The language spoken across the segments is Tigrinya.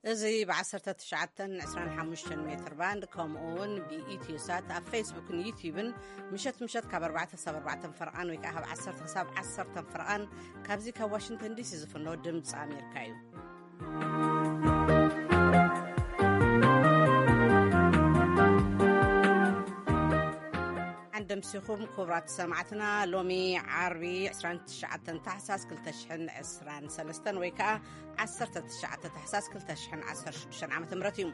እዚ ብ19 25 ሜትር ባንድ፣ ከምኡ እውን ብኢትዮ ሳት ኣብ ፌስቡክን ዩቲዩብን ምሸት ምሸት ካብ ኣርባዕተ ክሳብ ኣርባዕተ ፈርቓን ወይ ከዓ ካብ ዓሰርተ ክሳብ ዓሰርተ ፈርቓን ካብዚ ካብ ዋሽንግተን ዲሲ ዝፍኖ ድምፂ ኣሜሪካ እዩ። ዓንደምሲኹም ክቡራት ሰማዕትና፣ ሎሚ ዓርቢ ዕስራን ትሽዓተን ታሕሳስ ክልተ ሽሕን ዕስራን ሰለስተን ወይ ከዓ ዓሰርተ ትሽዓተ ታሕሳስ ክልተ ሽሕን ዓሰርተ ሽዱሽተን ዓመተ ምህረት እዩ።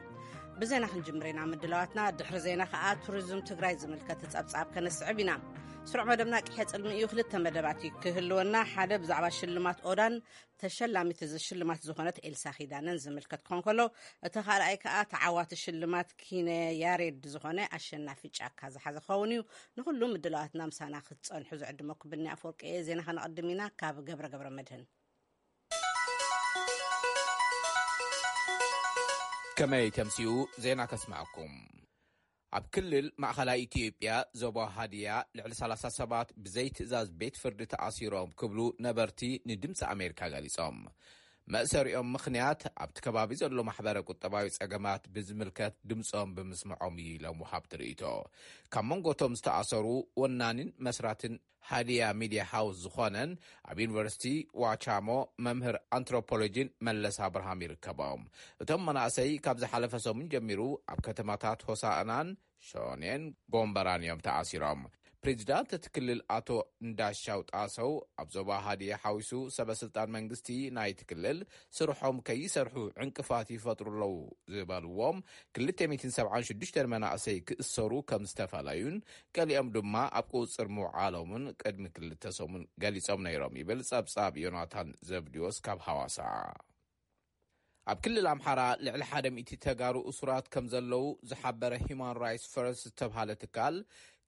ብዜና ክንጅምር ኢና ምድላዋትና። ድሕሪ ዜና ከዓ ቱሪዝም ትግራይ ዝምልከት ጸብጻብ ከነስዕብ ኢና። ስሩዕ መደብና ቅድሚ እዩ። ክልተ መደባት እዩ ክህልወና። ሓደ ብዛዕባ ሽልማት ኦዳን ተሸላሚት እዚ ሽልማት ዝኾነት ኤልሳ ኪዳነን ዝምልከት ክኾን ከሎ፣ እቲ ካልኣይ ከዓ ተዓዋቲ ሽልማት ኪነ ያሬድ ዝኾነ ኣሸናፊ ጫካ ዝሓዘ ክኸውን እዩ። ንኹሉ ምድላዋትና ምሳና ክትጸንሑ ዝዕድመኩም ብኒ ኣፈወርቂ እየ። ዜና ከነቐድም ኢና። ካብ ገብረ ገብረ መድህን። ከመይ ተምሲኡ ዜና ከስማዕኩም። ኣብ ክልል ማእኸላይ ኢትዮጵያ ዞባ ሃዲያ ልዕሊ ሰላሳ ሰባት ብዘይ ትእዛዝ ቤት ፍርዲ ተኣሲሮም ክብሉ ነበርቲ ንድምፂ ኣሜሪካ ገሊጾም። መእሰሪኦም ምኽንያት ኣብቲ ከባቢ ዘሎ ማሕበረ ቁጠባዊ ጸገማት ብዝምልከት ድምፆም ብምስምዖም እዩ ኢሎም ወሃብቲ ርእይቶ። ካብ መንጎቶም ዝተኣሰሩ ወናኒን መስራትን ሃዲያ ሚድያ ሃውስ ዝኾነን ኣብ ዩኒቨርሲቲ ዋቻሞ መምህር ኣንትሮፖሎጂን መለስ ኣብርሃም ይርከቦም። እቶም መናእሰይ ካብ ዝሓለፈ ሰሙን ጀሚሩ ኣብ ከተማታት ሆሳእናን ሾኔን ጎንበራን እዮም ተኣሲሮም። ፕሬዚዳንት እቲ ክልል ኣቶ እንዳሻው ጣሰው ኣብ ዞባ ሃዲያ ሓዊሱ ሰበ ስልጣን መንግስቲ ናይቲ ክልል ስርሖም ከይሰርሑ ዕንቅፋት ይፈጥሩ ኣለዉ ዝበልዎም ክልተ ሚእትን ሰብዓን ሽዱሽተን መናእሰይ ክእሰሩ ከም ዝተፈለዩን ገሊኦም ድማ ኣብ ቁፅፅር ምውዓሎምን ቅድሚ ክልተ ሰሙን ገሊጾም ነይሮም ይብል ጸብጻብ ዮናታን ዘብድዮስ ካብ ሃዋሳ። ኣብ ክልል ኣምሓራ ልዕሊ ሓደ ሚእቲ ተጋሩ እሱራት ከም ዘለዉ ዝሓበረ ሂማን ራይትስ ፈርስት ዝተብሃለ ትካል፣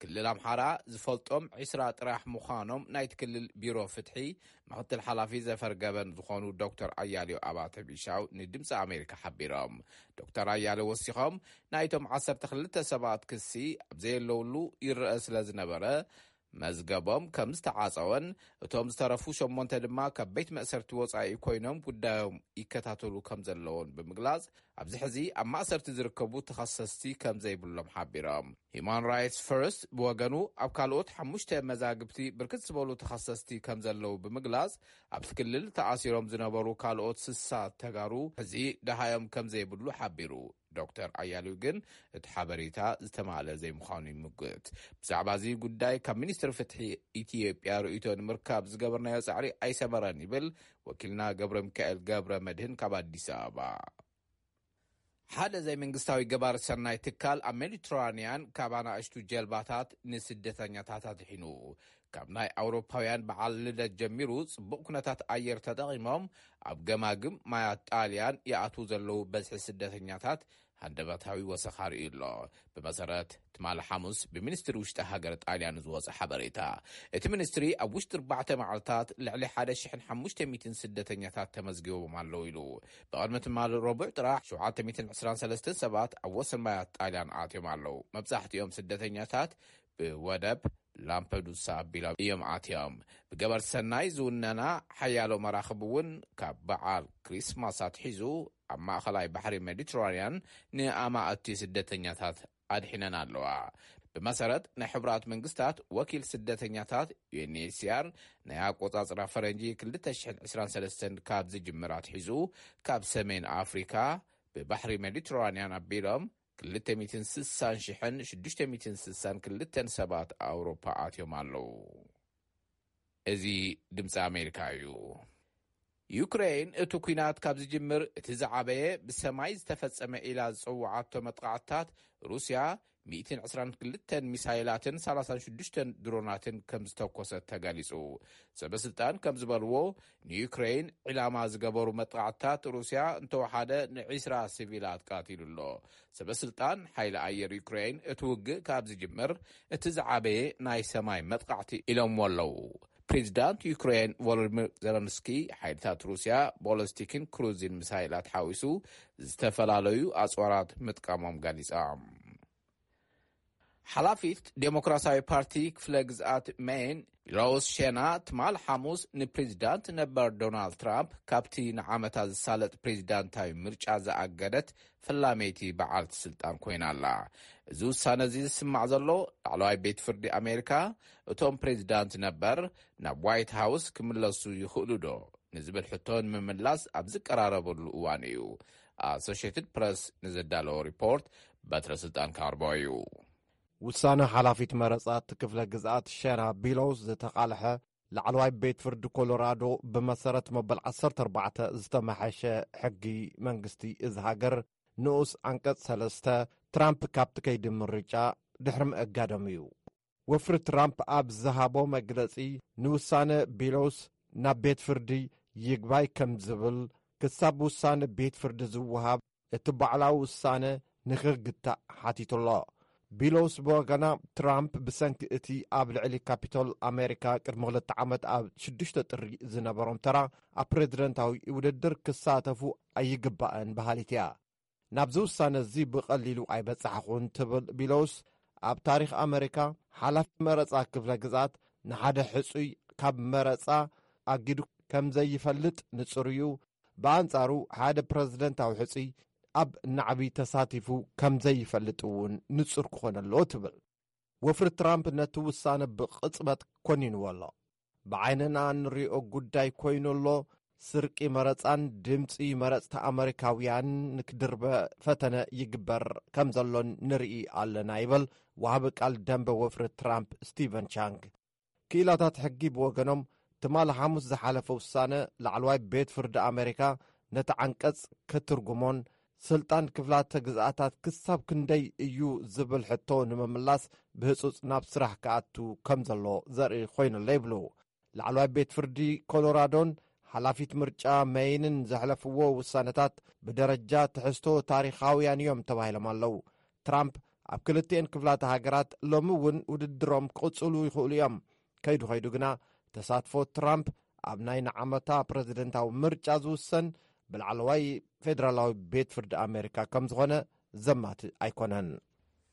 ክልል ኣምሓራ ዝፈልጦም ዒስራ ጥራሕ ምዃኖም ናይቲ ክልል ቢሮ ፍትሒ ምክትል ሓላፊ ዘፈር ገበን ዝኾኑ ዶክተር ኣያሌው ኣባተ ቢሻው ንድምፂ ኣሜሪካ ሓቢሮም። ዶክተር ኣያሌው ወሲኾም፣ ናይቶም ዓሰርተ ክልተ ሰባት ክሲ ኣብ ዘየለውሉ ይረአ ስለ ዝነበረ፣ መዝገቦም ከም ዝተዓጸወን እቶም ዝተረፉ ሸሞንተ ድማ ካብ ቤት መእሰርቲ ወጻኢ ኮይኖም ጉዳዮም ይከታተሉ ከም ዘለውን ብምግላጽ፣ ኣብዚ ሕዚ ኣብ ማእሰርቲ ዝርከቡ ተኸሰስቲ ከም ዘይብሎም ሓቢሮም። ሂማን ራይትስ ፈርስት ብወገኑ ኣብ ካልኦት ሓሙሽተ መዛግብቲ ብርክት ዝበሉ ተኸሰስቲ ከም ዘለዉ ብምግላጽ፣ ኣብቲ ክልል ተኣሲሮም ዝነበሩ ካልኦት ስሳ ተጋሩ ሕዚ ደሃዮም ከም ዘይብሉ ሓቢሩ። ዶክተር ኣያሌው ግን እቲ ሓበሬታ ዝተማልአ ዘይምዃኑ ይምጉት። ብዛዕባ እዚ ጉዳይ ካብ ሚኒስትሪ ፍትሒ ኢትዮጵያ ርእይቶ ንምርካብ ዝገበርናዮ ጻዕሪ ኣይሰመረን ይብል ወኪልና ገብረ ሚካኤል ገብረ መድህን ካብ ኣዲስ ኣበባ። ሓደ ዘይመንግስታዊ ገባር ሰናይ ትካል ኣብ ሜዲትራንያን ካብ ኣናእሽቱ ጀልባታት ንስደተኛታት ኣድሒኑ። ካብ ናይ ኣውሮፓውያን በዓል ልደት ጀሚሩ ጽቡቕ ኩነታት ኣየር ተጠቒሞም ኣብ ገማግም ማያት ጣልያን ይኣትዉ ዘለዉ በዝሒ ስደተኛታት ሃንደበታዊ ወሰኽ ኣርእዩ ኣሎ። ብመሰረት ትማሊ ሓሙስ ብሚኒስትሪ ውሽጢ ሃገር ጣልያን ዝወጸ ሓበሬታ፣ እቲ ሚኒስትሪ ኣብ ውሽጢ ኣርባዕተ መዓልታት ልዕሊ ሓደ ሽሕን ሓሙሽተ ሚእትን ስደተኛታት ተመዝጊቦም ኣለዉ ኢሉ። ብቕድሚ ትማሊ ረቡዕ ጥራሕ ሸውዓተ ሚእትን ዕስራን ሰለስተን ሰባት ኣብ ወሰን ማያት ጣልያን ኣትዮም ኣለዉ። መብዛሕትኦም ስደተኛታት ብወደብ ላምፐዱሳ ኣቢሎም እዮም ኣትዮም። ብገበር ሰናይ ዝውነና ሓያሎ መራኽብ እውን ካብ በዓል ክሪስማስ ኣትሒዙ ኣብ ማእኸላይ ባሕሪ ሜዲትራንያን ንኣማእቲ ስደተኛታት ኣድሒነን ኣለዋ። ብመሰረት ናይ ሕቡራት መንግስታት ወኪል ስደተኛታት ዩኤንኤችሲኣር፣ ናይ ኣቆጻጽራ ፈረንጂ ክልተ ሽሕን ዕስራን ሰለስተን ካብ ዝጅምር ኣትሒዙ ካብ ሰሜን ኣፍሪካ ብባሕሪ ሜዲትራንያን ኣቢሎም ክልተ ሚእትን ስሳን ሽሕን ሽዱሽተ ሚእትን ስሳን ክልተን ሰባት ኣውሮፓ ኣትዮም ኣለዉ። እዚ ድምፂ ኣሜሪካ እዩ። ዩክሬን እቲ ኲናት ካብ ዝጅምር እቲ ዝዓበየ ብሰማይ ዝተፈጸመ ኢላ ዝጸውዓቶ መጥቃዕትታት ሩስያ ሚእትን ዕስራን ክልተን ሚሳይላትን ሰላሳን ሽዱሽተን ድሮናትን ከም ዝተኮሰት ተገሊጹ። ሰበስልጣን ከም ዝበልዎ፣ ንዩክሬን ዒላማ ዝገበሩ መጥቃዕትታት ሩስያ እንተወሓደ ንዒስራ ሲቪላት ቀቲሉ ኣሎ። ሰበስልጣን ሓይሊ ኣየር ዩክሬን እቲ ውግእ ካብ ዝጅምር እቲ ዝዓበየ ናይ ሰማይ መጥቃዕቲ ኢሎምዎ ኣለዉ። ፕሬዚዳንት ዩክሬን ቮሎዲሚር ዘለንስኪ፣ ሓይልታት ሩስያ ቦለስቲክን ክሩዝን ሚሳይላት ሓዊሱ ዝተፈላለዩ ኣጽዋራት ምጥቃሞም ገሊጾም። ሓላፊት ዴሞክራሲያዊ ፓርቲ ክፍለ ግዝኣት ሜን ቢሎስ ሸና ትማል ሓሙስ ንፕሬዚዳንት ነበር ዶናልድ ትራምፕ ካብቲ ንዓመታት ዝሳለጥ ፕሬዚዳንታዊ ምርጫ ዝኣገደት ፈላመይቲ በዓልቲ ስልጣን ኮይና ኣላ። እዚ ውሳነ እዚ ዝስማዕ ዘሎ ላዕለዋይ ቤት ፍርዲ ኣሜሪካ፣ እቶም ፕሬዚዳንት ነበር ናብ ዋይት ሃውስ ክምለሱ ይኽእሉ ዶ ንዝብል ሕቶ ንምምላስ ኣብ ዝቀራረበሉ እዋን እዩ። ኣሶሽየትድ ፕረስ ንዘዳለዎ ሪፖርት በትረ ስልጣን ካርቦ እዩ። ውሳነ ሓላፊት መረጻ እቲ ክፍለ ግዝኣት ሸና ቢሎስ ዝተቓልሐ ላዕለዋይ ቤት ፍርዲ ኮሎራዶ፣ ብመሰረት መበል ዓሰርተ ኣርባዕተ ዝተመሓሸ ሕጊ መንግስቲ እዚ ሃገር ንኡስ ዓንቀጽ ሰለስተ፣ ትራምፕ ካብቲ ከይዲ ምርጫ ድሕሪ ምእጋዶም እዩ። ወፍሪ ትራምፕ ኣብ ዝሃቦ መግለጺ፣ ንውሳነ ቢሎስ ናብ ቤት ፍርዲ ይግባይ ከም ዝብል፣ ክሳብ ውሳነ ቤት ፍርዲ ዝወሃብ እቲ ባዕላዊ ውሳነ ንኽግታእ ሓቲቱ ኣሎ። ቢሎስ ብወገና፣ ትራምፕ ብሰንኪ እቲ ኣብ ልዕሊ ካፒቶል ኣሜሪካ ቅድሚ ክልተ ዓመት ኣብ ሽዱሽተ ጥሪ ዝነበሮም ተራ ኣብ ፕሬዝደንታዊ ውድድር ክሳተፉ ኣይግባእን በሃሊት እያ። ናብዚ ውሳነ እዚ ብቐሊሉ ኣይበጻሕኹን ትብል ቢሎስ፣ ኣብ ታሪኽ ኣሜሪካ ሓላፊ መረጻ ክፍለ ግዝኣት ንሓደ ሕጹይ ካብ መረጻ ኣጊዱ ከም ዘይፈልጥ ንጹር እዩ። ብኣንጻሩ ሓደ ፕረዚደንታዊ ሕጹይ ኣብ ናዕቢ ተሳቲፉ ከም ዘይፈልጥ እውን ንጹር ክኾን ኣለዎ ትብል። ወፍሪ ትራምፕ ነቲ ውሳነ ብቕጽበት ኮኒንዎ ኣሎ። ብዓይንና እንሪኦ ጉዳይ ኮይኑ ኣሎ። ስርቂ መረጻን ድምጺ መረጽቲ ኣመሪካውያን ንክድርበ ፈተነ ይግበር ከም ዘሎን ንርኢ ኣለና ይበል ወሃቢ ቃል ደንበ ወፍሪ ትራምፕ ስቲቨን ቻንግ። ክኢላታት ሕጊ ብወገኖም፣ ትማሊ ሓሙስ ዝሓለፈ ውሳነ ላዕለዋይ ቤት ፍርዲ ኣሜሪካ ነቲ ዓንቀጽ ክትርጉሞን ስልጣን ክፍላተ ግዝኣታት ክሳብ ክንደይ እዩ ዝብል ሕቶ ንምምላስ ብህጹጽ ናብ ስራሕ ክኣቱ ከም ዘሎ ዘርኢ ኮይኑሎ ይብሉ። ላዕለዋይ ቤት ፍርዲ ኮሎራዶን ሓላፊት ምርጫ መይንን ዘሕለፍዎ ውሳነታት ብደረጃ ትሕዝቶ ታሪኻውያን እዮም ተባሂሎም ኣለዉ። ትራምፕ ኣብ ክልቲኤን ክፍላተ ሃገራት ሎሚ እውን ውድድሮም ክቕጽሉ ይኽእሉ እዮም። ከይዱ ከይዱ ግና ተሳትፎ ትራምፕ ኣብ ናይ ንዓመታ ፕረዚደንታዊ ምርጫ ዝውሰን ብላዕለዋይ ፌደራላዊ ቤት ፍርዲ ኣሜሪካ ከም ዝኾነ ዘማትእ ኣይኮነን።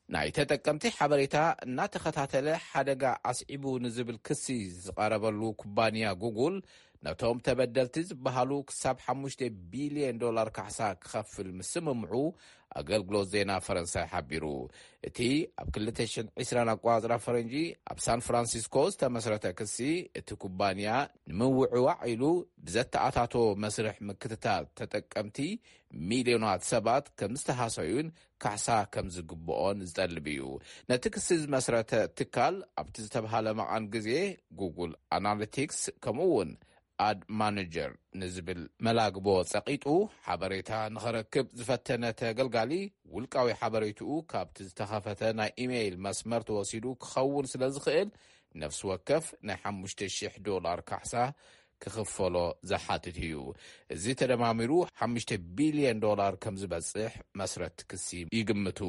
ናይ ተጠቀምቲ ሓበሬታ እናተኸታተለ ሓደጋ ኣስዒቡ ንዝብል ክሲ ዝቐረበሉ ኩባንያ ጉጉል፣ ነቶም ተበደልቲ ዝበሃሉ ክሳብ ሓሙሽተ ቢልዮን ዶላር ካሕሳ ክኸፍል ምስምምዑ ኣገልግሎት ዜና ፈረንሳይ ሓቢሩ። እቲ ኣብ ክልተ ሽሕን ዕስራን ኣቋጽራ ፈረንጂ ኣብ ሳን ፍራንሲስኮ ዝተመስረተ ክሲ፣ እቲ ኩባንያ ንምውዕዋዕ ኢሉ ብዘተኣታቶ መስርሕ ምክትታል ተጠቀምቲ፣ ሚልዮናት ሰባት ከም ዝተሃሰዩን ካሕሳ ከም ዝግብኦን ዝጠልብ እዩ። ነቲ ክሲ ዝመስረተ ትካል ኣብቲ ዝተብሃለ መቓን ግዜ፣ ጉጉል ኣናሊቲክስ ከምኡ እውን ኣድ ማነጀር ንዝብል መላግቦ ጸቒጡ፣ ሓበሬታ ንኸረክብ ዝፈተነ ተገልጋሊ፣ ውልቃዊ ሓበሬትኡ ካብቲ ዝተኸፈተ ናይ ኢሜይል መስመር ተወሲዱ ክኸውን ስለ ዝኽእል፣ ነፍሲ ወከፍ ናይ ሓሙሽተ ሽሕ ዶላር ካሕሳ ክኽፈሎ ዝሓትት እዩ። እዚ ተደማሚሩ ሓሙሽተ ቢልዮን ዶላር ከም ዝበጽሕ መስረቲ ክሲ ይግምቱ።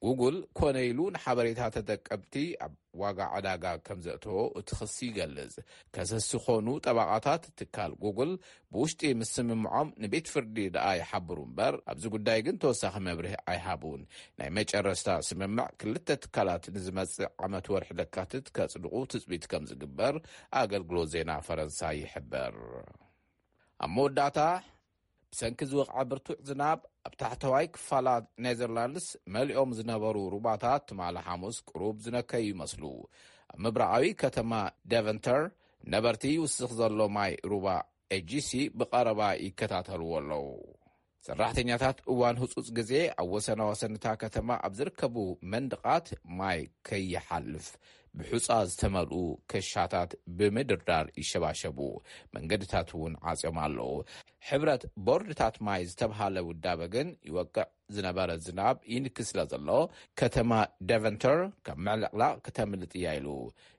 ጉጉል ኮነ ኢሉ ንሓበሬታ ተጠቀምቲ ኣብ ዋጋ ዕዳጋ ከም ዘእተዎ እቲ ክሲ ይገልጽ። ከሰሲ ኮኑ ጠበቓታት ትካል ጉጉል ብውሽጢ ምስምምዖም ንቤት ፍርዲ ደኣ ይሓብሩ እምበር፣ ኣብዚ ጉዳይ ግን ተወሳኺ መብርሂ ኣይሃቡን። ናይ መጨረስታ ስምምዕ ክልተ ትካላት ንዝመጽእ ዓመት ወርሒ ለካትት ከጽድቑ ትጽቢት ከም ዝግበር ኣገልግሎት ዜና ፈረንሳ ይሕበር። ኣብ መወዳእታ፣ ብሰንኪ ዝወቕዐ ብርቱዕ ዝናብ፣ ኣብ ታሕተዋይ ክፋላት ኔዘርላንድስ መሊኦም ዝነበሩ ሩባታት ትማሊ ሓሙስ ቁሩብ ዝነከዩ ይመስሉ። ኣብ ምብራቓዊ ከተማ ደቨንተር ነበርቲ ይውስኽ ዘሎ ማይ ሩባ ኤጂሲ ብቐረባ ይከታተልዎ ኣለዉ። ሰራሕተኛታት እዋን ህጹጽ ግዜ ኣብ ወሰናወሰን እታ ከተማ ኣብ ዝርከቡ መንድቓት ማይ ከይሓልፍ ብሑጻ ዝተመልኡ ክሻታት ብምድርዳር ይሸባሸቡ። መንገድታት እውን ዓጽዮም ኣለዉ። ሕብረት ቦርድታት ማይ ዝተብሃለ ውዳበ ግን ይወቅዕ ዝነበረ ዝናብ ይንኪ ስለ ዘሎ፣ ከተማ ደቨንተር ካብ ምዕልቕላቕ ክተምልጥ እያ ኢሉ።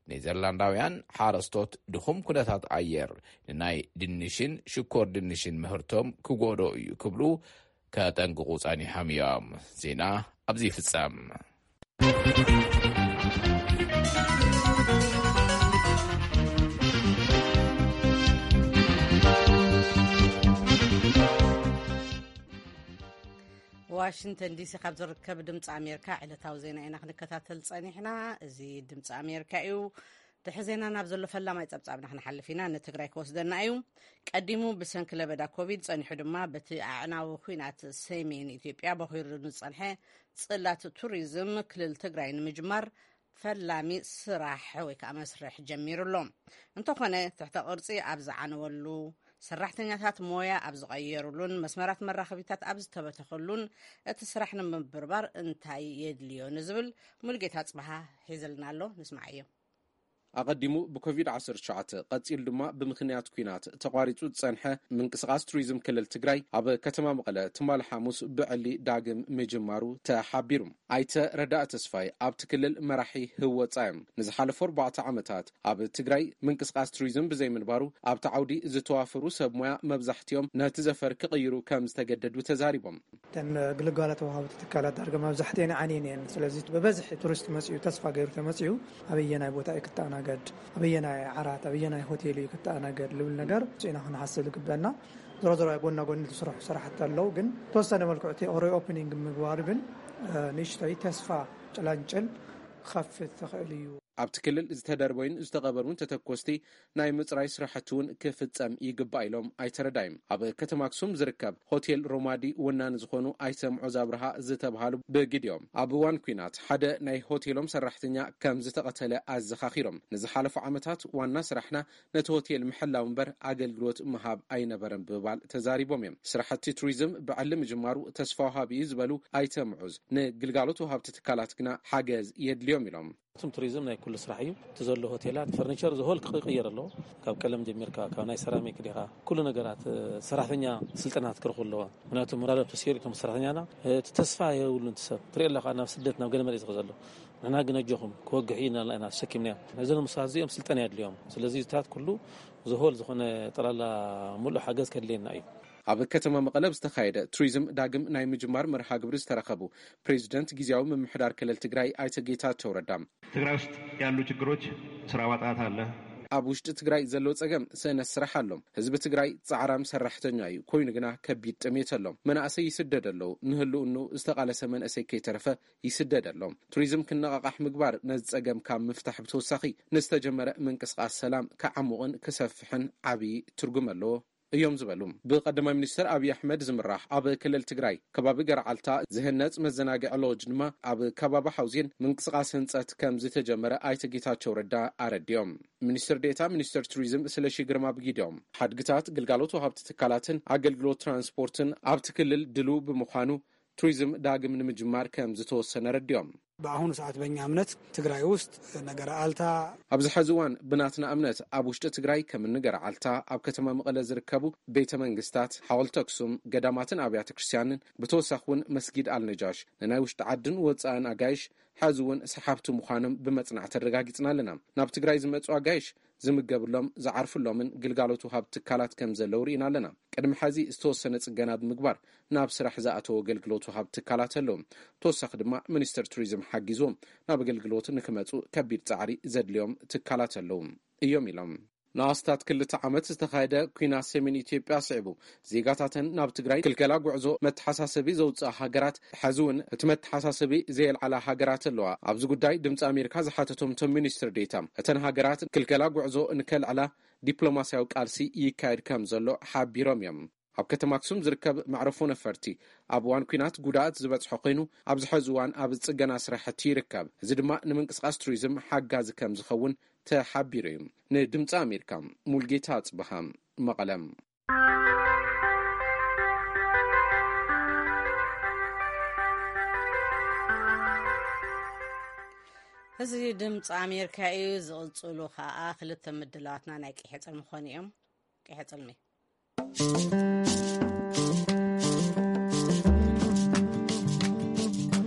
ኔዘርላንዳውያን ሓረስቶት ድኹም ኩነታት ኣየር ንናይ ድንሽን ሽኮር ድንሽን ምህርቶም ክጎዶ እዩ ክብሉ ከጠንቅቑ ጸኒሖም እዮም። ዜና ኣብዚ ይፍጸም። ዋሽንግተን ዲሲ ካብ ዝርከብ ድምፂ ኣሜሪካ ዕለታዊ ዜና ኢና ክንከታተል ጸኒሕና። እዚ ድምፂ ኣሜሪካ እዩ። ድሕሪ ዜና ናብ ዘሎ ፈላማይ ጸብጻብና ክንሓልፍ ኢና። ንትግራይ ክወስደና እዩ። ቀዲሙ ብሰንኪ ለበዳ ኮቪድ፣ ጸኒሑ ድማ በቲ ኣዕናዊ ኲናት ሰሜን ኢትዮጵያ በኺሩ ንዝጸንሐ ጽላት ቱሪዝም ክልል ትግራይ ንምጅማር ፈላሚ ስራሕ ወይ ከዓ መስርሕ ጀሚሩ ኣሎ። እንተኾነ ትሕተ ቅርጺ ኣብ ዝዓነወሉ፣ ሰራሕተኛታት ሞያ ኣብ ዝቐየሩሉን መስመራት መራኸቢታት ኣብ ዝተበተኸሉን እቲ ስራሕ ንምብርባር እንታይ የድልዮ ንዝብል ሙሉጌታ ጽበሃ ሒዝልና ኣሎ። ንስማዓዮ። ኣቐዲሙ ብኮቪድ ዓሰርተ ትሽዓተ፣ ቀጺሉ ድማ ብምኽንያት ኲናት ተቋሪጹ ዝጸንሐ ምንቅስቓስ ቱሪዝም ክልል ትግራይ ኣብ ከተማ መቐለ ትማሊ ሓሙስ ብዕሊ ዳግም ምጅማሩ ተሓቢሩ። ኣይተ ረዳእ ተስፋይ ኣብቲ ክልል መራሒ ህወጻ እዮም። ንዝሓለፉ ኣርባዕተ ዓመታት ኣብ ትግራይ ምንቅስቓስ ቱሪዝም ብዘይምንባሩ ኣብቲ ዓውዲ ዝተዋፈሩ ሰብ ሞያ መብዛሕትኦም ነቲ ዘፈር ክቕይሩ ከም ዝተገደዱ ተዛሪቦም። እተን ግልጋሎት ወሃብቲ ትካላት ዳርጋ መብዛሕትኤን ዓንየን እየን። ስለዚ ብበዝሒ ቱሪስት መፂኡ ተስፋ ገይሩ ተመፂኡ ኣበየናይ ቦታ እዩ ክተኣናገድ፣ ኣበየናይ ዓራት፣ ኣበየናይ ሆቴል እዩ ክተኣናገድ ልብል ነገር ኢና ክንሓስብ ዝግበና። ዞሮ ዞሮ ጎና ጎኒ ዝስርሑ ስራሕቲ ኣለዉ፣ ግን ተወሰነ መልክዑ እቲ ሪኦፕኒንግ ምግባሩ ግን ንእሽተይ ተስፋ ጭላንጭል ክኸፍት ተኽእል እዩ። ኣብቲ ክልል ዝተደርበዩን ዝተቐበሩን ተተኮስቲ ናይ ምፅራይ ስራሕቲ እውን ክፍፀም ይግባእ ኢሎም ኣይተ ረዳይም። ኣብ ከተማ ኣክሱም ዝርከብ ሆቴል ሮማዲ ወናኒ ዝኾኑ ኣይተ ምዑዝ ኣብርሃ ዝተብሃሉ ብግዲኦም ኣብ እዋን ኲናት ሓደ ናይ ሆቴሎም ሰራሕተኛ ከም ዝተቐተለ ኣዘኻኺሮም። ንዝሓለፉ ዓመታት ዋና ስራሕና ነቲ ሆቴል ምሕላው እምበር ኣገልግሎት ምሃብ ኣይነበረን ብምባል ተዛሪቦም እዮም። ስራሕቲ ቱሪዝም ብዕሊ ምጅማሩ ተስፋ ወሃቢ እዩ ዝበሉ ኣይተ ምዑዝ፣ ንግልጋሎት ወሃብቲ ትካላት ግና ሓገዝ የድልዮም ኢሎም። እቶም ቱሪዝም ናይ ኩሉ ስራሕ እዩ። እቲ ዘሎ ሆቴላት፣ ፈርኒቸር፣ ዘሆል ክቕየር ኣለዎ። ካብ ቀለም ጀሚርካ፣ ካብ ናይ ሰራሚክ ዲኻ፣ ኩሉ ነገራት፣ ሰራሕተኛ ስልጠናት ክረኽቡ ኣለዎ። ምክንያቱ ሞራሎም ተሰይሩ እቶም ሰራሕተኛና፣ እቲ ተስፋ የብሉን። እቲ ሰብ ትሪኦ ኣለኻ፣ ናብ ስደት፣ ናብ ገለ መሬት ዝኸ ዘሎ። ንሕና ግን ኣጆኹም፣ ክወግሕ እዩ እናልና ኢና ተሰኪምናዮ። ነዚ ንምስራት እዚኦም ስልጠና የድልዮም። ስለዚ እዚታት ኩሉ ዘሆል ዝኾነ ጠላላ ሙሉእ ሓገዝ ከድልየና እዩ። ኣብ ከተማ መቐለ ዝተኻየደ ቱሪዝም ዳግም ናይ ምጅማር መርሃ ግብሪ ዝተረኸቡ ፕሬዚደንት ግዝያዊ ምምሕዳር ክልል ትግራይ ኣይተ ጌታቸው ረዳ፣ ትግራይ ውስጥ ያሉ ችግሮች ስራ ማጣት አለ። ኣብ ውሽጢ ትግራይ ዘሎ ጸገም ስእነት ስራሕ ኣሎ። ህዝቢ ትግራይ ጻዕራም ሰራሕተኛ እዩ፣ ኮይኑ ግና ከቢድ ጥሜት ኣሎ። መናእሰይ ይስደድ ኣሎ። ንህልውኑ ዝተቓለሰ መንእሰይ ከይተረፈ ይስደድ ኣሎ። ቱሪዝም ክነቓቓሕ ምግባር ነዚ ጸገም ካብ ምፍታሕ ብተወሳኺ ንዝተጀመረ ምንቅስቓስ ሰላም ክዓሙቕን ክሰፍሕን ዓብዪ ትርጉም ኣለዎ እዮም ዝበሉ ብቀዳማይ ሚኒስትር ኣብይ ኣሕመድ ዝምራሕ ኣብ ክልል ትግራይ ከባቢ ገርዓልታ ዝህነፅ መዘናግዒ ሎጅ ድማ ኣብ ከባቢ ሓውዜን ምንቅስቃስ ህንፀት ከም ዝተጀመረ ኣይተ ጌታቸው ረዳ ኣረዲኦም። ሚኒስትር ዴታ ሚኒስትር ቱሪዝም ስለሺ ግርማ ብጊዲኦም ሓድግታት ግልጋሎት ወሃብቲ ትካላትን ኣገልግሎት ትራንስፖርትን ኣብቲ ክልል ድልው ብምዃኑ ቱሪዝም ዳግም ንምጅማር ከም ዝተወሰነ ረዲኦም። በአሁኑ ሰዓት በእኛ እምነት ትግራይ ውስጥ ነገረ አልታ ኣብዚ ሐዚ እዋን ብናትና እምነት ኣብ ውሽጢ ትግራይ ከም ንገርዓልታ ኣብ ከተማ መቐለ ዝርከቡ ቤተ መንግስታት፣ ሓወልቲ ኣክሱም፣ ገዳማትን ኣብያተ ክርስቲያንን ብተወሳኺ እውን መስጊድ ኣልነጃሽ ንናይ ውሽጢ ዓድን ወፃእን ኣጋይሽ ሐዚ እውን ሰሓብቲ ምዃኖም ብመፅናዕቲ ኣረጋጊፅና ኣለና። ናብ ትግራይ ዝመፁ ኣጋይሽ ዝምገብሎም ዝዓርፍሎምን ግልጋሎት ወሃብ ትካላት ከም ዘለዉ ርኢና ኣለና። ቅድሚ ሐዚ ዝተወሰነ ፅገና ብምግባር ናብ ስራሕ ዝኣተው ኣገልግሎት ወሃብ ትካላት ኣለዉ። ተወሳኺ ድማ ሚኒስትር ቱሪዝም ሓጊዝዎም ናብ ኣገልግሎት ንክመፁ ከቢድ ፃዕሪ ዘድልዮም ትካላት ኣለዉ እዮም ኢሎም። ንኣስታት ክልተ ዓመት ዝተኻየደ ኲናት ሰሜን ኢትዮጵያ ስዒቡ ዜጋታተን ናብ ትግራይ ክልከላ ጉዕዞ መተሓሳሰቢ ዘውፅኣ ሃገራት ሐዚ እውን እቲ መተሓሳሰቢ ዘየልዓላ ሃገራት ኣለዋ። ኣብዚ ጉዳይ ድምፂ ኣሜሪካ ዝሓተቶም እቶም ሚኒስትር ዴታ እተን ሃገራት ክልከላ ጉዕዞ ንከልዕላ ዲፕሎማስያዊ ቃልሲ ይካየድ ከም ዘሎ ሓቢሮም እዮም። ኣብ ከተማ ኣክሱም ዝርከብ መዕረፎ ነፈርቲ ኣብ እዋን ኲናት ጉድኣት ዝበፅሖ ኮይኑ ኣብዚ ሐዚ እዋን ኣብ ፅገና ስራሕቲ ይርከብ። እዚ ድማ ንምንቅስቃስ ቱሪዝም ሓጋዚ ከም ዝኸውን ተሓቢሩ እዩ። ንድምፂ ኣሜሪካ ሙልጌታ ኣፅብሃ መቐለም። እዚ ድምፂ ኣሜሪካ እዩ። ዝቕፅሉ ከዓ ክልተ ምድላዋትና ናይ ቀይሕ ፅልሚ ክኾኑ እዮም። ቀይሕ ፅልሚ።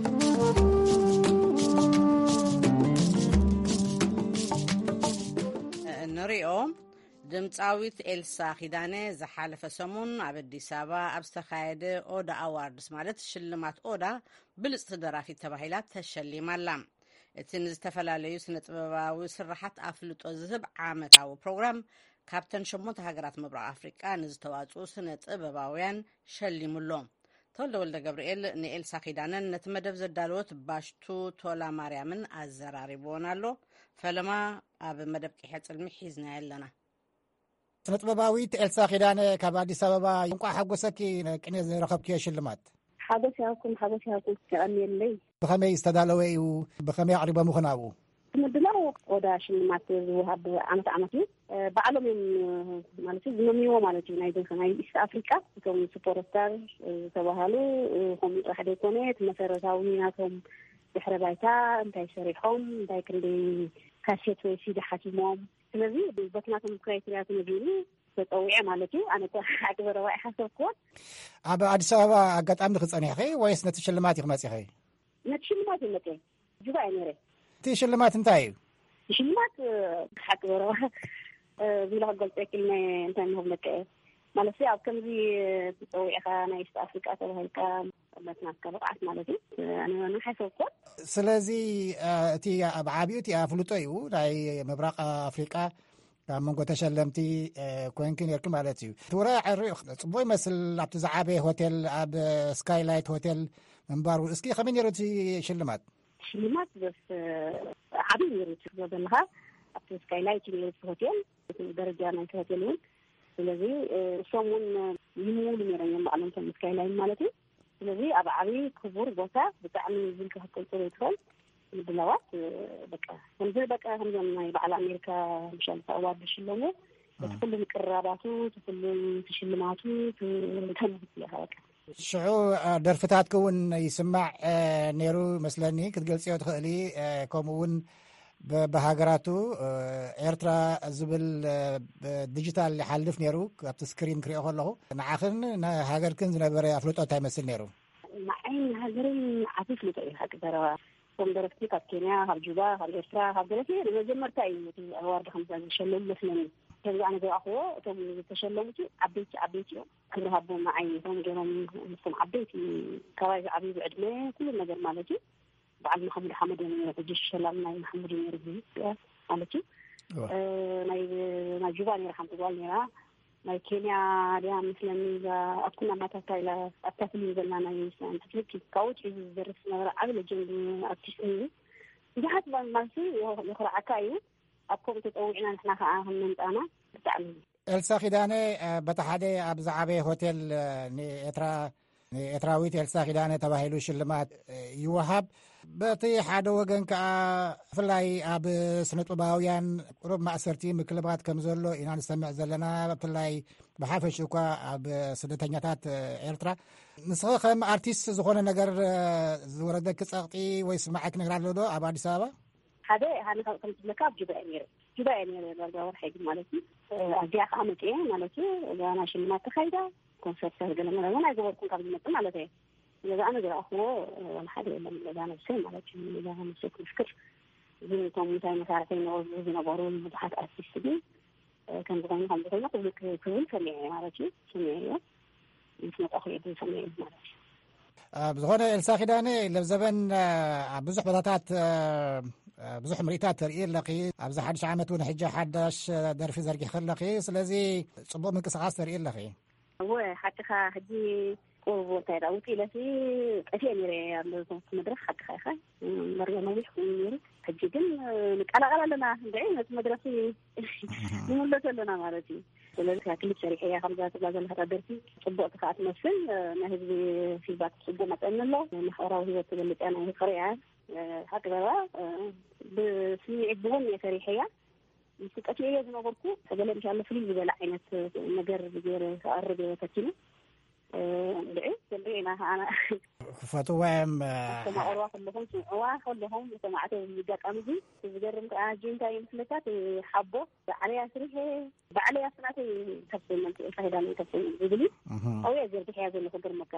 ንሪኦ። ድምፃዊት ኤልሳ ኪዳነ ዝሓለፈ ሰሙን ኣብ ኣዲስ ኣበባ ኣብ ዝተኻየደ ኦዳ ኣዋርድስ ማለት ሽልማት ኦዳ ብልፅቲ ደራፊት ተባሂላ ተሸሊማ ኣላ። እቲ ንዝተፈላለዩ ስነ ጥበባዊ ስራሓት ኣፍልጦ ዝህብ ዓመታዊ ፕሮግራም ካብተን ሸሞንተ ሃገራት ምብራቕ ኣፍሪቃ ንዝተዋፅኡ ስነ ጥበባውያን ሸሊሙ ኣሎ። ተወልደ ወልደ ገብርኤል ንኤልሳ ኪዳነን ነቲ መደብ ዘዳለወት ባሽቱ ቶላ ማርያምን ኣዘራሪብዎን ኣሎ። ፈለማ ኣብ መደብ ቂሐ ጽልሚ ሒዝናዮ ኣለና። ስነ ጥበባዊት ኤልሳ ኪዳነ ካብ ኣዲስ ኣበባ፣ እንቋዕ ሓጎሰኪ ቅኔ ዝረኸብክዮ ሽልማት። ሓጎስ ይሃብኩም፣ ሓጎስ ይሃብኩም፣ የቐንየለይ። ብኸመይ ዝተዳለወ እዩ? ብኸመይ ኣቕሪቦምኹ ናብኡ? ምድላው ወዳ ሽልማት ዝወሃብ ዓመት ዓመት እዩ። እ፣ ባዕሎም እዮም፣ እ፣ ማለት እዩ ዝመምይዎ ማለት እዩ። ናይ ዘ-፣ ናይ ኢስት ኣፍሪቃ እቶም ሱፐርስታር፣ እ፣ ዝተባሃሉ፣ እ፣ ከምኡ ጥራሕ ዘይኮነ እቲ መሰረታዊ ናቶም ድሕረ ባይታ እንታይ ሰሪሖም፣ እንታይ ክንደይ ካሴት ወይ ሲዲ ሓቲሞም። ስለዚ በቲ ናቶም ክራይቴርያ ተመዚኑ ተጸዊዐ ማለት እዩ። ኣነ እኮ ሓቂ በረባ ይሓሰብኩዎ። ኣብ ኣዲስ ኣበባ ኣጋጣሚ ዲኺ ጸኒሕኺ ወይስ ነቲ ሽልማት ኢኺ መጺኺ? ነቲ ሽልማት እዩ መጸ። ጁባ እየ ነይረ። እቲ ሽልማት እንታይ እዩ? ሽልማት፣ እ፣ ሓቂ በረባ፣ እ፣ ቢላ ክገልጸ ይክእል ናይ እንታይ ንህብለካ እየ። ማለት ኣብ ከምዚ ተጸዊዕኻ ናይ ኢስት ኣፍሪቃ ተባሂልካ መትናትካ ብቕዓት ማለት እዩ። ኣነ ንሓሰብኮ። ስለዚ፣ እ፣ እቲ ኣብ ዓቢኡ እቲ ኣፍልጦ እዩ ናይ ምብራቕ ኣፍሪቃ ካብ መንጎ ተሸለምቲ፣ እ፣ ኮንኪ ነርኪ ማለት እዩ። እቲ ውራይ ዕርዩ ጽቡቕ ይመስል። ኣብቲ ዝዓበየ ሆቴል፣ ኣብ ስካይላይት ሆቴል ምንባሩ፣ እስኪ ከመይ ነይሩ እቲ ሽልማት? ሽልማት በስ ዓብዪ ነይሩ። ትብሎ ዘለኻ ኣብቲ ስካይላይት ነይሩ እቲ ሆቴል፣ እቲ ደረጃ ናይቲ ሆቴል እውን። ስለዚ፣ እ፣ እሶም እውን ይምውሉ ነይሮም እዮም ባዕሎም፣ እቶም ስካይላይን ማለት እዩ። ስለዚ ኣብ ዓብዪ ክቡር ቦታ ብጣዕሚ ዝልካ ክትገልጾ ዘይትኽእል ምድላዋት፣ እ፣ በቃ ከምዚ በቃ ከምዞም ናይ በዓል ኣሜሪካ ምሻል ኣዋርድ ዝሽለሙ፣ እቲ እ። ኩሉ ምቅርራባቱ፣ እቲ ኩሉ ሽልማቱ፣ እቲ ተመልክት ኢኻ በቃ። ሽዑ፣ እ፣ ደርፍታትኪ እውን ይስማዕ፣ እ፣ ነይሩ መስለኒ፣ ክትገልጽዮ ትኽእሊ፣ እ፣ ከምኡ እውን ብ-፣ ብሃገራቱ፣ እ፣ ኤርትራ ዝብል፣ እ፣ ብዲጂታል ይሓልፍ ነይሩ፣ ኣብቲ ስክሪን ክሪኦ ከለኹ። ንዓኽን ንሃገርክን ዝነበረ ኣፍልጦ እንታይ ይመስል ነይሩ? ንዓይን ንሃገረይን ዓቢ ኣፍልጦ እዩ፣ ሓቂ ዘረባ። እቶም ደረፍቲ ካብ ኬንያ፣ ካብ ጁባ፣ ካብ ኤርትራ፣ ካብ ገለ ንመጀመርታ እዩ እቲ ኣዋርድ ከምዛ ዝሸለሙ መስለኒ። ከምዚ ኣነ ዝረኣኽዎ፣ እቶም ዝተሸለሙቲ ዓበይቲ ዓበይቲ እዮም። ክብሪ ሃቦም ንዓይ፣ እቶም ገይሮም ምስቶም ዓበይቲ፣ ካባይ ዝዓብዩ ብዕድመ፣ ኩሉ ነገር ማለት እዩ። በዓል መሓሙድ ሓመድ እዮም ነይሩ። ሕጂ ሸላል ናይ መሓሙድ እዩ ነይሩ፣ ማለት እዩ። እዋ። እ፣ ናይ፣ ናይ ጁባ ነይራ ሓንቲ ጓል ነይራ። ናይ ኬንያ ድያ መስለኒ፣ እዛ ኣኩና ማታታ ኢላ ኣብታ ፊልም ዘላ ናይ ሳይንስ ፊክሽን፣ ካብኡ ውፅኢ ዝደርስ ዝነበረ ዓቢ ሌጀንድ ኣርቲስት ነይሩ። ብዙሓት ማ-፣ ማለት የኹ-፣ የኹርዓካ እዩ። ኣብ ከምኡ ተፀዊዕና ንሕና ከዓ ከም መምፃእና ብጣዕሚ። ኤልሳ ኪዳነ፣ እ፣ በቲ ሓደ ኣብ ዝዓበየ ሆቴል፣ እ፣ ንኤርትራ፣ ንኤርትራዊት ኤልሳ ኪዳነ ተባሂሉ ሽልማት፣ እ፣ ይወሃብ። በቲ ሓደ ወገን ከኣ ብፍላይ ኣብ ስነ ጥበባውያን ቁሩብ ማእሰርቲ ምክልባት ከም ዘሎ ኢና ንሰምዕ ዘለና፣ ብፍላይ ብሓፈሽ እኳ ኣብ ስደተኛታት ኤርትራ። ንስኺ ከም ኣርቲስት ዝኾነ ነገር ዝወረደኪ ጸቕጢ ወይ ስምዓት ክነግር ኣሎ ዶ ኣብ ኣዲስ ኣበባ? ሓደ፣ ሃኒ ካብ ከም ትብለካ ኣብ ጁባ እየ ነይረ። ጁባ እየ ነይረ ዳርጋ ወርሒ ግን ማለት እዩ። ኣብዚኣ ከኣ መጽየ ማለት እዩ። እዛ ናይ ሽልማት ተኻይዳ፣ ኮንሰርት ገለ መለ እውን ኣይገበርኩን ካብ ዝመጽእ ማለት እየ። ስለዚ ኣነ ዝረኣኽዎ ዋላ ሓደ የለን። ገዛ ነብሰይ ማለት እዩ። ገዛ ነብሰይ ክምስክር። ግን እቶም እንታይ መሳርሒ ይነበሩ ዝነበሩ ብዙሓት ኣርቲስት ግን ከም ዝኾኑ ከም ዝኾኑ ክብል ክብል ሰሚዐ ማለት እዩ። ሰሚዐ እየ። ምስ መጣኹ እየ ግን ሰሚዐ ማለት እዩ። ኣብ ዝኾነ ኤልሳ ኪዳነ ለብዘበን ኣብ ብዙሕ ቦታታት ብዙሕ ምርኢታት ተርኢ ኣለኺ። ኣብዚ ሓድሽ ዓመት እውን ሕጂ ሓዳሽ ደርፊ ዘርጊሒ ኣለኺ። ስለዚ ጽቡቕ ምንቅስቓስ ተርኢ ኣለኺ። እወ፣ ሓቅኻ። ሕጂ ቁሩብ እንታይ ደኣ ውፅእ ኢለሲ ጠፊኤ ነይረ ኣብ መድረኽ። ሓቅኻ ኢኻ። እምበር ነዊሕ ኮይኑ ነይሩ። ሕጂ ግን ንቀላቐል ኣለና። እንድዒ ነቲ መድረኽ ንምለስ ኣለና ማለት እዩ። ስለዚ ክሊፕ ሰሪሐ እያ። ከምዛ ትብላ ዘለኻ ደርፊ ጽቡቕቲ ከኣ ትመስል። ናይ ህዝቢ ፊድባክ ጽቡቕ መጠኒ ኣሎ። ማሕበራዊ ህይወት ትገልጽ እያ፣ ናይ ፍቕሪ እያ። ሓቂ ዘረባ፣ ብስምዒት ብውን እየ ሰሪሐያ። ምስ ጠፊኤዮ ዝነበርኩ፣ ገለ ምሻሎ ፍልይ ዝበለ ዓይነት ነገር ገይረ ክቐርብ እየ ፈቲነ። እንድዒ፣ ክንርኢ ኢና ከዓና። ክፈትዋ እዮም። ኣስተማቕርዋ ከለኹም፣ ስምዕዋ ከለኹም፣ ሰማዕቲ ኣብዚ ኣጋጣሚ እዚ፣ ዝገርም ከኣ፣ ሕጂ እንታይ እዩ ምስለካ፣ እቲ ሓቦ፣ ባዕለይ ኣስሪሐ፣ ባዕለይ ኣብቲ ናተይ ኢንተርቴይንመንት፣ ኤልሳ ኪዳነ ኢንተርቴይንመንት ዝብል እዩ። እህ። ኣብኡ እየ ዘርጊሐያ ዘለኹ፣ ግርመካ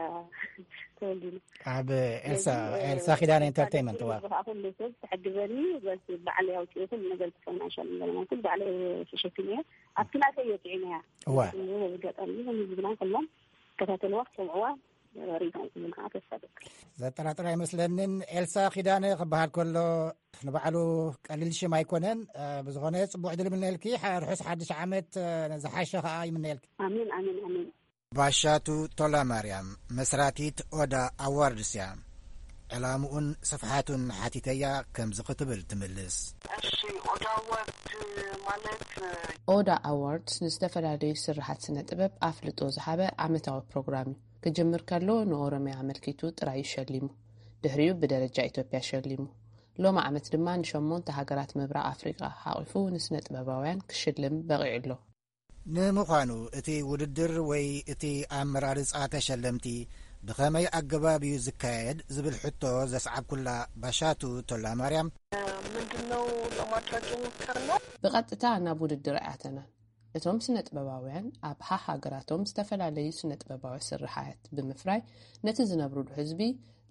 ተወልዲኑ። ኣብ ኤልሳ፣ ስለዚ፣ ኤልሳ ኪዳነ ኢንተርቴይንመንት፣ ዋ። ከዓ ኩሉ ሰብ ተሓግዘኒ፣ በስ ባዕለይ ኣውፅኤ ኩሉ ነገር፣ ፋይናንሻል ነገር ማለት ባዕለይ ተሸኪመ እየ። ኣብቲ ናተይ እየ ጥዒመያ። እዋ። ስለዚ በዚ ኣጋጣሚ፣ እዚ ዝብላ ከሎም፣ ከታተልዋ፣ ክሰምዕዋ፣ ሪኢቶም ክብሉ ከዓ ተስፋ ገብር። ዘጠራጥር ኣይመስለንን። ኤልሳ ኪዳነ ክበሃል ከሎ ንባዕሉ ቀሊል ሽም ኣይኮነን። እ፣ ብዝኾነ ጽቡቕ ዕድል ይምነየልኪ። ሓ-፣ ርሑስ ሓድሽ ዓመት፣ እ፣ ዝሓሸ ከኣ ይምነየልኪ። ኣሜን፣ ኣሜን፣ ኣሜን። ባሻቱ ቶላ ማርያም፣ መስራቲት ኦዳ ኣዋርድስ እያ። ዕላምኡን ስፍሓቱን ሓቲተያ ከምዚ ክትብል ትምልስ። እሺ፣ ኦዳ ኣዋርድ ማለት ኦዳ ኣዋርድስ ንዝተፈላለዩ ስርሓት ስነ ጥበብ ኣፍልጦ ዝሃበ ዓመታዊ ፕሮግራም እዩ። ክጅምር ከሎ ንኦሮሚያ ኣመልኪቱ ጥራይ እዩ ሸሊሙ። ድሕሪኡ ብደረጃ ኢትዮጵያ ሸሊሙ። ሎሚ ዓመት ድማ ንሸሞንተ ሃገራት ምብራቕ ኣፍሪቃ ሓቒፉ ንስነ ጥበባውያን ክሽልም በቒዑ ኣሎ። ንምዃኑ እቲ ውድድር ወይ እቲ ኣመራርጻ ተሸለምቲ ብኸመይ ኣገባብ እዩ ዝካየድ ዝብል ሕቶ ዘስዓብኩላ ባሻቱ ቶላ ማርያም፣ ምንድን ነው ለማድረግ የሞከርነው? ብቐጥታ ናብ ውድድር ኣይኣተናን። እቶም ስነ ጥበባውያን ኣብ ሃሃገራቶም ዝተፈላለዩ ስነ ጥበባዊ ስርሓት ብምፍራይ ነቲ ዝነብሩሉ ህዝቢ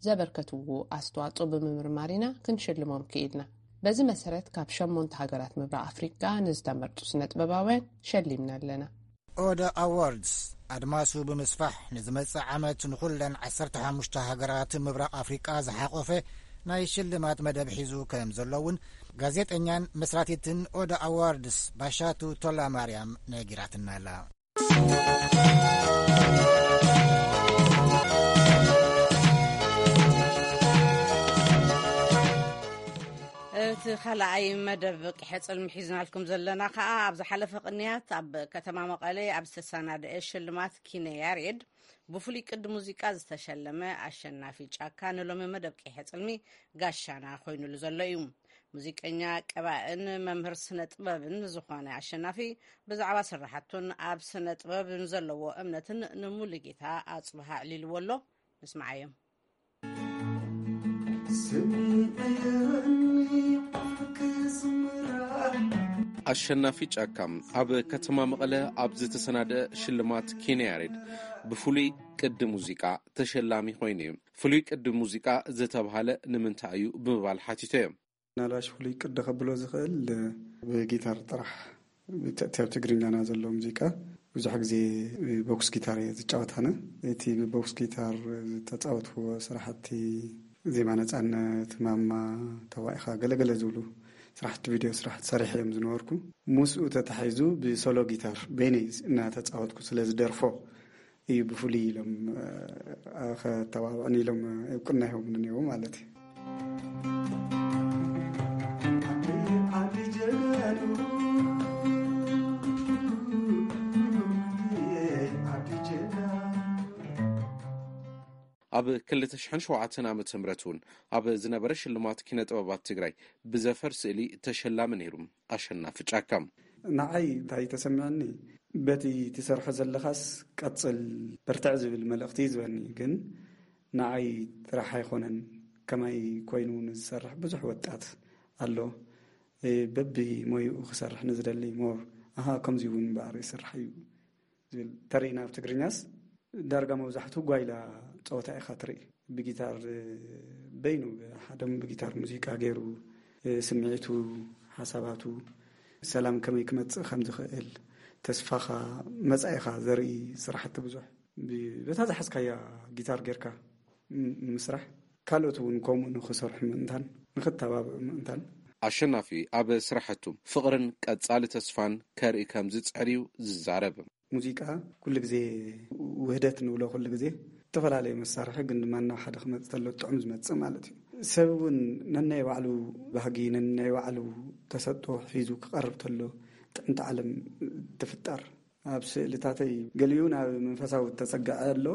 ዘበርከትዎ ኣስተዋጽኦ ብምምርማር ኢና ክንሽልሞም ክኢልና። በዚ መሰረት ካብ ሸሞንተ ሃገራት ምብራቕ ኣፍሪቃ ንዝተመርጡ ስነ ጥበባውያን ሸሊምና ኣለና። ኦደ ኣዋርድስ ኣድማሱ ብምስፋሕ ንዝመጽእ ዓመት ንኹለን ዓሰርተ ሓሙሽተ ሃገራት ምብራቕ ኣፍሪቃ ዝሓቆፈ ናይ ሽልማት መደብ ሒዙ ከም ዘሎ እውን ጋዜጠኛን መስራቲትን ኦደ ኣዋርድስ ባሻቱ ቶላ ማርያም ነጊራትና ኣላ። እቲ ካልኣይ መደብ ቂሐ ጽልሚ ሒዝናልኩም ዘለና ከኣ ኣብ ዝሓለፈ ቅንያት ኣብ ከተማ መቐለ ኣብ ዝተሰናደአ ሽልማት ኪነ ያሬድ ብፍሉይ ቅዲ ሙዚቃ ዝተሸለመ ኣሸናፊ ጫካ ንሎሚ መደብ ቂሐ ጽልሚ ጋሻና ኮይኑሉ ዘሎ እዩ። ሙዚቀኛ፣ ቀባእን መምህር ስነ ጥበብን ዝኾነ ኣሸናፊ ብዛዕባ ስራሕቱን ኣብ ስነ ጥበብ ንዘለዎ እምነትን ንሙሉጌታ ኣጽብሃ ኣዕሊልዎ ኣሎ። ንስምዓዮም። ኣሸናፊ ጫካ ኣብ ከተማ መቐለ ኣብ ዝተሰናደአ ሽልማት ኪነ ያሬድ ብፍሉይ ቅዲ ሙዚቃ ተሸላሚ ኮይኑ እዩ። ፍሉይ ቅዲ ሙዚቃ ዝተብሃለ ንምንታይ እዩ ብምባል ሓቲተዮ። ናላሽ ፍሉይ ቅዲ ከብሎ ዝኽእል ብጊታር ጥራሕ፣ እቲ ኣብ ትግርኛና ዘሎ ሙዚቃ ብዙሕ ግዜ ቦክስ ጊታር እየ ዝጫወት ኣነ። እቲ ብቦክስ ጊታር ዝተጻወትዎ ስራሕቲ ዜማ ነጻነት፣ ማማ፣ ተዋኢኻ፣ ገለገለ ዝብሉ ስራሕቲ ቪድዮ ስራሕቲ ሰሪሐ እዮም ዝነበርኩ። ምስኡ ተታሒዙ ብሶሎ ጊታር በይነይ እናተጻወትኩ ስለ ዝደርፎ እዩ ብፍሉይ ኢሎም፣ እ፣ ከተባብዑኒ ኢሎም እውቅና ሂቦምኒ ነይሩ ማለት እዩ። ኣብ ክልተ ሽሕን ሸውዓተን ዓመተ ምህረት እውን ኣብ ዝነበረ ሽልማት ኪነ ጥበባት ትግራይ ብዘፈር ስእሊ ተሸላሚ ነይሩ ኣሸናፊ ጫካ። ንዓይ እንታይ ተሰሚዑኒ፣ በቲ ትሰርሖ ዘለኻስ ቀጽል፣ በርትዕ ዝብል መልእኽቲ እዩ ዝበኒ። ግን ንዓይ ጥራሕ ኣይኮነን፣ ከማይ ኮይኑ ንዝሰርሕ ብዙሕ ወጣት ኣሎ። እ፣ በቢ ሞይኡ ክሰርሕ ንዝደሊ ሞር፣ ኣሃ፣ ከምዚ እውን እምበኣር ይስራሕ እዩ ዝብል ተሪእና። ኣብ ትግርኛስ ዳርጋ መብዛሕትኡ ጓይላ ጸወታ ኢኻ ትርኢ። ብጊታር፣ እ፣ በይኑ፣ ብሓደም ብጊታር ሙዚቃ ገይሩ፣ እ፣ ስምዒቱ፣ ሓሳባቱ፣ ሰላም ከመይ ክመጽእ ከም ዝኽእል፣ ተስፋኻ፣ መጻኢኻ ዘርኢ ስራሕቲ ብዙሕ። ብ-፣ በታ ዝሓዝካያ ጊታር ጌርካ ም-፣ ምስራሕ፣ ካልኦት እውን ከምኡ ንኽሰርሑ ምእንታን ንኽተባብዑ ምእንታን። ኣሸናፊ ኣብ ስራሕቱ ፍቕርን ቀጻሊ ተስፋን ከርኢ ከም ዝጽዕር እዩ ዝዛረብ። ሙዚቃ ኩሉ ግዜ ውህደት ንብሎ፣ ኩሉ ግዜ ዝተፈላለዩ መሳርሒ ግን ድማ ናብ ሓደ ክመጽእ ተሎ ጥዑም ዝመጽእ ማለት እዩ። ሰብ እውን ነናይ ባዕሉ ባህጊ፣ ነናይ ባዕሉ ተሰጥኦ ሒዙ ክቐርብ ተሎ ጥዕምቲ ዓለም ትፍጠር። ኣብ ስእልታተይ ገሊኡ ናብ መንፈሳዊ ተጸግዐ ኣሎ፣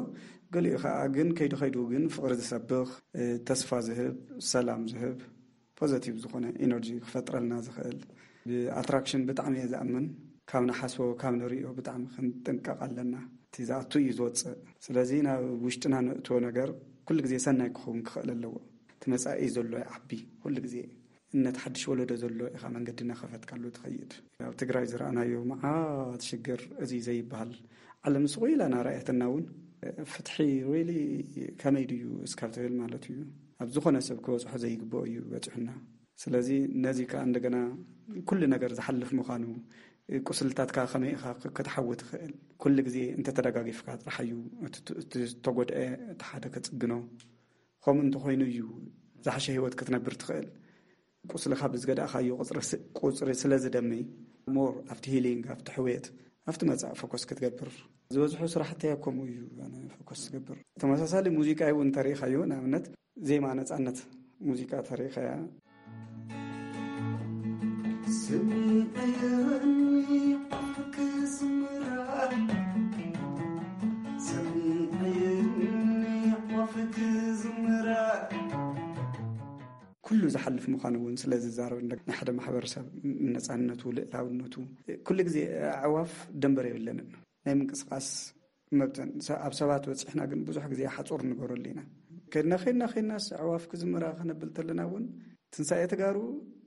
ገሊኡ ከኣ ግን ከይዱ ከይዱ ግን ፍቕሪ ዝሰብኽ፣ እ፣ ተስፋ ዝህብ፣ ሰላም ዝህብ፣ ፖዘቲቭ ዝኾነ ኢነርጂ ክፈጥረልና ዝኽእል። ብኣትራክሽን ብጣዕሚ እየ ዝኣምን። ካብ ንሓስቦ፣ ካብ ንርእዮ ብጣዕሚ ክንጥንቀቕ ኣለና። እቲ ዝኣቱ እዩ ዝወጽእ። ስለዚ ናብ ውሽጥና ነእትዎ ነገር ኩሉ ግዜ ሰናይ ክኸውን ክኽእል ኣለዎ። እቲ መጻኢ ዘሎ ይዓቢ። ኩሉ ግዜ እነት ሓድሽ ወለዶ ዘሎ ኢኻ መንገዲ እናኸፈትካሉ ትኸይድ። ኣብ ትግራይ ዝረኣናዮ መዓት ሽግር እዚ ዘይበሃል፣ ዓለም ስቕ ኢላ እናረኣየትና እውን፣ ፍትሒ ሪሊ ከመይ ድዩ እስካብ ትብል ማለት እዩ። ኣብ ዝኾነ ሰብ ክበጽሖ ዘይግብኦ እዩ በጺሑና። ስለዚ ነዚ ከኣ እንደገና ኩሉ ነገር ዝሓልፍ ምዃኑ፣ ቁስልታትካ ከመይ ኢኻ ክ-፣ ክትሓዊ ትኽእል፣ ኩሉ ግዜ እንተተደጋጊፍካ ጥራሕ እዩ እቲ ት-፣ እቲ ዝተጎድአ እቲ ሓደ ከጽግኖ። ከምኡ እንተኾይኑ እዩ ዝሓሸ ህይወት ክትነብር ትኽእል። ቁስልኻ ብዝገዳእኻዮ ቁጽሪ ስ-፣ ቁጽሪ ስለ ዝደሚ፣ ሞር ኣብቲ ሂሊንግ፣ ኣብቲ ሕውየት፣ ኣብቲ መጻኢ ፎከስ ክትገብር። ዝበዝሑ ስራሕተይ ከምኡ እዩ ኣነ ፎከስ ዝገብር። ተመሳሳሊ ሙዚቃ እውን እንተሪኢኻዮ፣ ንኣብነት ዜማ ነጻነት ሙዚቃ ተሪኸያ። ኩሉ ዝሓልፍ ምዃኑ እውን ስለ ዝዛረብ፣ ናይ ሓደ ማሕበረሰብ ነፃነቱ፣ ልእላውነቱ፣ ኩሉ ግዜ ኣዕዋፍ ደንበር የብለንን ናይ ምንቅስቃስ መብተን። ሰ-፣ ኣብ ሰባት በፂሕና ግን ብዙሕ ግዜ ሓፁር ንገረሉ ኢና። ከድና ከድና ከድናስ ኣዕዋፍ ክዝምራ ከነብል ተለና እውን ትንሳኤ ተጋሩ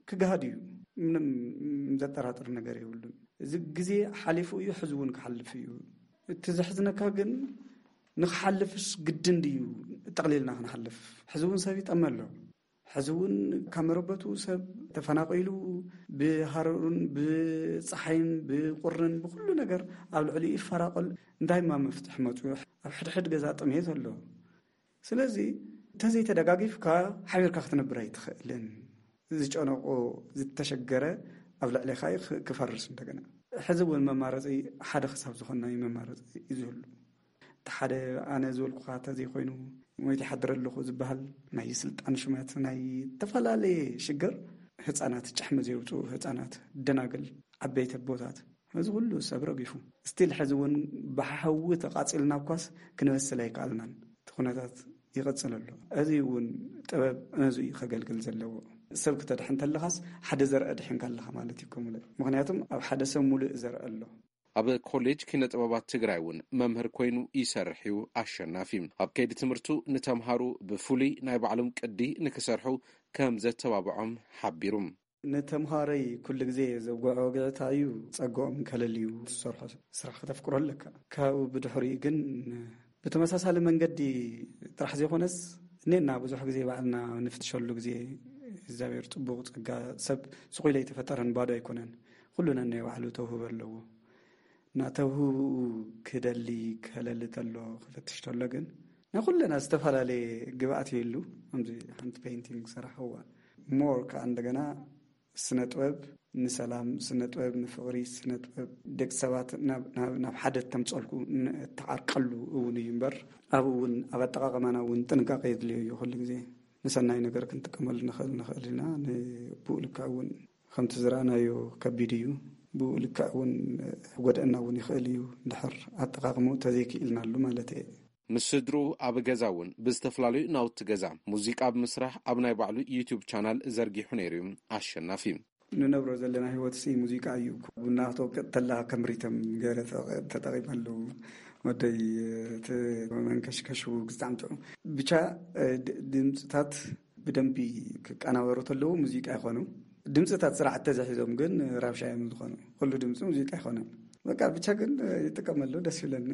ክግሃድ እዩ። ምንም ዘጠራጥር ነገር የብሉን። እዚ ግዜ ሓሊፉ እዩ፣ ሕዚ እውን ክሓልፍ እዩ። እቲ ዘሕዝነካ ግን ንክሓልፍስ ግድን ድዩ ጠቕሊልና ክንሓልፍ? ሕዚ እውን ሰብ ይጠመ ኣሎ። ሕዚ እውን ካብ መረበቱ ሰብ ተፈናቒሉ ብሃሩርን ብፀሓይን ብቁርን ብኩሉ ነገር ኣብ ልዕሊኡ ይፈራቐል። እንታይ እማ መፍትሒ መፅኡ? ኣብ ሕድሕድ ገዛ ጥሜት ኣሎ። ስለዚ እንተዘይተደጋጊፍካ ሓቢርካ ክትነብር ኣይትኽእልን። ዝጨነቆ ዝተሸገረ ኣብ ልዕሌኻ እዩ ክ-፣ ክፈርስ እንደገና። ሕዚ እውን መማረፂ ሓደ ክሳብ ዝኾንና እዩ መማረፂ እዩ ዝህሉ። እቲ ሓደ ኣነ ዝበልኩኻ እንተዘይኮይኑ ሞይተ ይሓድር ኣለኹ ዝበሃል ናይ ስልጣን ሽመት ናይ ዝተፈላለየ ሽግር ህፃናት ጭሕሚ ዘውፅኡ ህፃናት ደናግል ዓበይቲ ኣቦታት እዚ ኩሉ ሰብ ረጊፉ ስቲል ሕዚ እውን ብሓዊ ተቃፂልና እኳስ ክንበስል ኣይከኣልናን። እቲ ኩነታት ይቐፅል ኣሎ። እዚ እውን ጥበብ ነዚ እዩ ከገልግል ዘለዎ። ሰብ ክተድሕን ተለኻስ ሓደ ዘርአ ድሕንካ ኣለኻ ማለት እዩ። ከምኡ ምክንያቱም ኣብ ሓደ ሰብ ሙሉእ ዘርአ ኣሎ። ኣብ ኮሌጅ ኪነ ጥበባት ትግራይ እውን መምህር ኮይኑ ይሰርሕ እዩ ኣሸናፊ። ኣብ ከይዲ ትምህርቱ ንተምሃሩ ብፍሉይ ናይ ባዕሎም ቅዲ ንክሰርሑ ከም ዘተባብዖም ሓቢሩ። ንተምሃረይ ኩሉ ግዜ ዘጓዕኦ ግዕታ እዩ፣ ጸግኦም ከለል እዩ። ትሰርሖ ስራሕ ከተፍቅሮ ኣለካ። ካብኡ ብድሕሪኡ ግን ብተመሳሳሊ መንገዲ ጥራሕ ዘይኮነስ፣ እኔና ብዙሕ ግዜ ባዕልና ንፍትሸሉ ግዜ እግዚኣብሔር ጽቡቕ ጸጋ፣ ሰብ ስቕ ኢሉ ኣይተፈጠረን፣ ባዶ ኣይኮነን። ኩሉ ነናይ ባዕሉ ተውህቦ ኣለዎ። እና ተውህብኡ ክደሊ ከለሊ ተሎ፣ ክፈትሽ ተሎ ግን ናይ ኩለና ዝተፈላለየ ግብኣት ይህሉ። ከምዚ ሓንቲ ፔይንቲንግ ሰራሕዋ ሞር ከዓ እንደገና ስነ ጥበብ ንሰላም፣ ስነ ጥበብ ንፍቕሪ፣ ስነ ጥበብ ደቂ ሰባት ናብ፣ ናብ፣ ናብ ሓደ እተምፀልኩ እተዓርቀሉ እውን እዩ እምበር፣ ኣብኡ እውን ኣብ ኣጠቓቕማና እውን ጥንቃቄ የድልዮ እዩ። ኩሉ ግዜ ንሰናይ ነገር ክንጥቀመሉ ንኽእል ንኽእል ኢና። ንብኡ ልክዕ እውን ከምቲ ዝረኣናዮ ከቢድ እዩ። ብኡ ልክዕ እውን ክጎድአና እውን ይኽእል እዩ። እንድሕር ኣጠቓቕምኡ ተዘይክኢልናሉ ማለት እየ። ምስ ስድርኡ ኣብ ገዛ እውን ብዝተፈላለዩ ናውቲ ገዛ ሙዚቃ ብምስራሕ ኣብ ናይ ባዕሉ ዩቱብ ቻናል ዘርጊሑ ነይሩ እዩ ኣሸናፊ። ንነብሮ ዘለና ህይወት ሲ ሙዚቃ እዩ። ቡና ክትወቅጥ ተላ ከም ሪተም ገይረ ተጠ-፣ ተጠቒመሉ። ወደይ እቲ መንከሽከሽ ብጣዕሚ ጥዑም። ብቻ፣ እ፣ ድ-፣ ድምፅታት ብደንቢ ክቀናበሩ ተለዉ ሙዚቃ ይኾኑ። ድምፅታት ስርዓት ተዘሒዞም ግን ራብሻ እዮም ዝኾኑ። ኩሉ ድምፂ ሙዚቃ ይኾኑ። በቃ ብቻ ግን ይጥቀመሉ፣ ደስ ይብለኒ።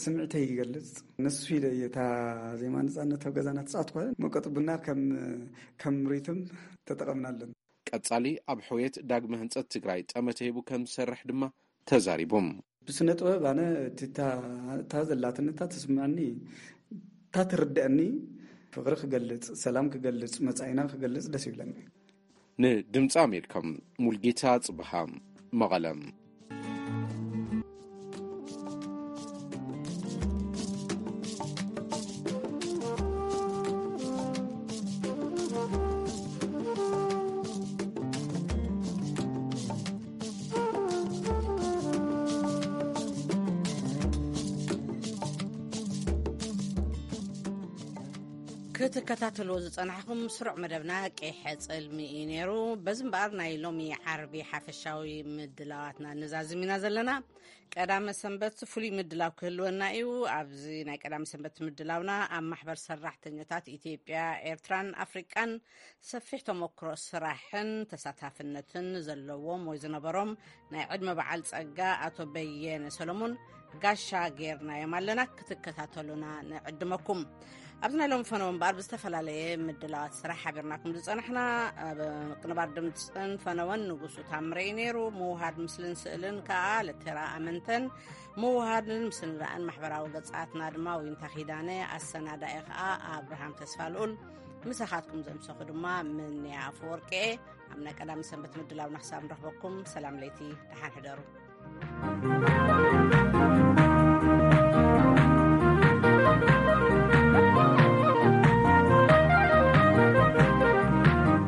ስምዒተይ ይገልፅ። ንሱ ኢለ እየ እታ ዜማ ነፃነት ኣብ ገዛና ትፃወት ኮነ መቀጥ ቡና ከም፣ ከም ሪትም ተጠቐምናለን። ቀጻሊ ኣብ ሕውየት ዳግመ ህንጸት ትግራይ ጠመተ ሂቡ ከም ዝሰርሕ ድማ ተዛሪቦም። ብስነ ጥበብ ኣነ እቲ እታ፣ እታ ዘላትኒ፣ እታ ትስምዐኒ፣ እታ ትርድአኒ፣ ፍቕሪ ክገልጽ፣ ሰላም ክገልጽ፣ መጻኢና ክገልጽ ደስ ይብለኒ። ንድምፂ ኣሜሪካ፣ ሙልጌታ ጽብሃ፣ መቐለ። ክትከታተልዎ ዝጸናሕኩም ስሩዕ መደብና ቀይሐ ጽልሚ እዩ ነይሩ። በዚ እምበኣር ናይ ሎሚ ዓርቢ ሓፈሻዊ ምድላዋትና ንዛዝም ኢና ዘለና። ቀዳመ ሰንበት ፍሉይ ምድላው ክህልወና እዩ። ኣብዚ ናይ ቀዳመ ሰንበት ምድላውና ኣብ ማሕበር ሰራሕተኛታት ኢትዮጵያ፣ ኤርትራን ኣፍሪቃን ሰፊሕ ተመክሮ ስራሕን ተሳታፍነትን ዘለዎም ወይ ዝነበሮም ናይ ዕድመ በዓል ጸጋ ኣቶ በየነ ሰሎሞን ጋሻ ጌርናዮም ኣለና። ክትከታተሉና ንዕድመኩም። ኣብዚ ናይ ሎሚ ፈነወ እምበኣር ብዝተፈላለየ ምድላዋት ስራሕ ሓቢርናኩም ዝጸናሕና፣ ኣብ ቅንባር ድምጽን ፈነወን ንጉሱ ታምረ እዩ ነይሩ። ምውሃድ ምስልን ስእልን ከኣ ለቴራ ኣመንተን፣ ምውሃድን ምስንዳእን ማሕበራዊ ገጻትና ድማ ዊንታ ኪዳነ፣ ኣሰናዳኢ ከኣ ኣብርሃም ተስፋ ልኡል፣ ምሳኻትኩም ዘምሰኹ ድማ ምንያ ኣፈወርቂ እየ። ኣብ ናይ ቀዳሚ ሰንበት ምድላውና ክሳብ ንረኽበኩም ሰላም ለይቲ፣ ደሓን ሕደሩ።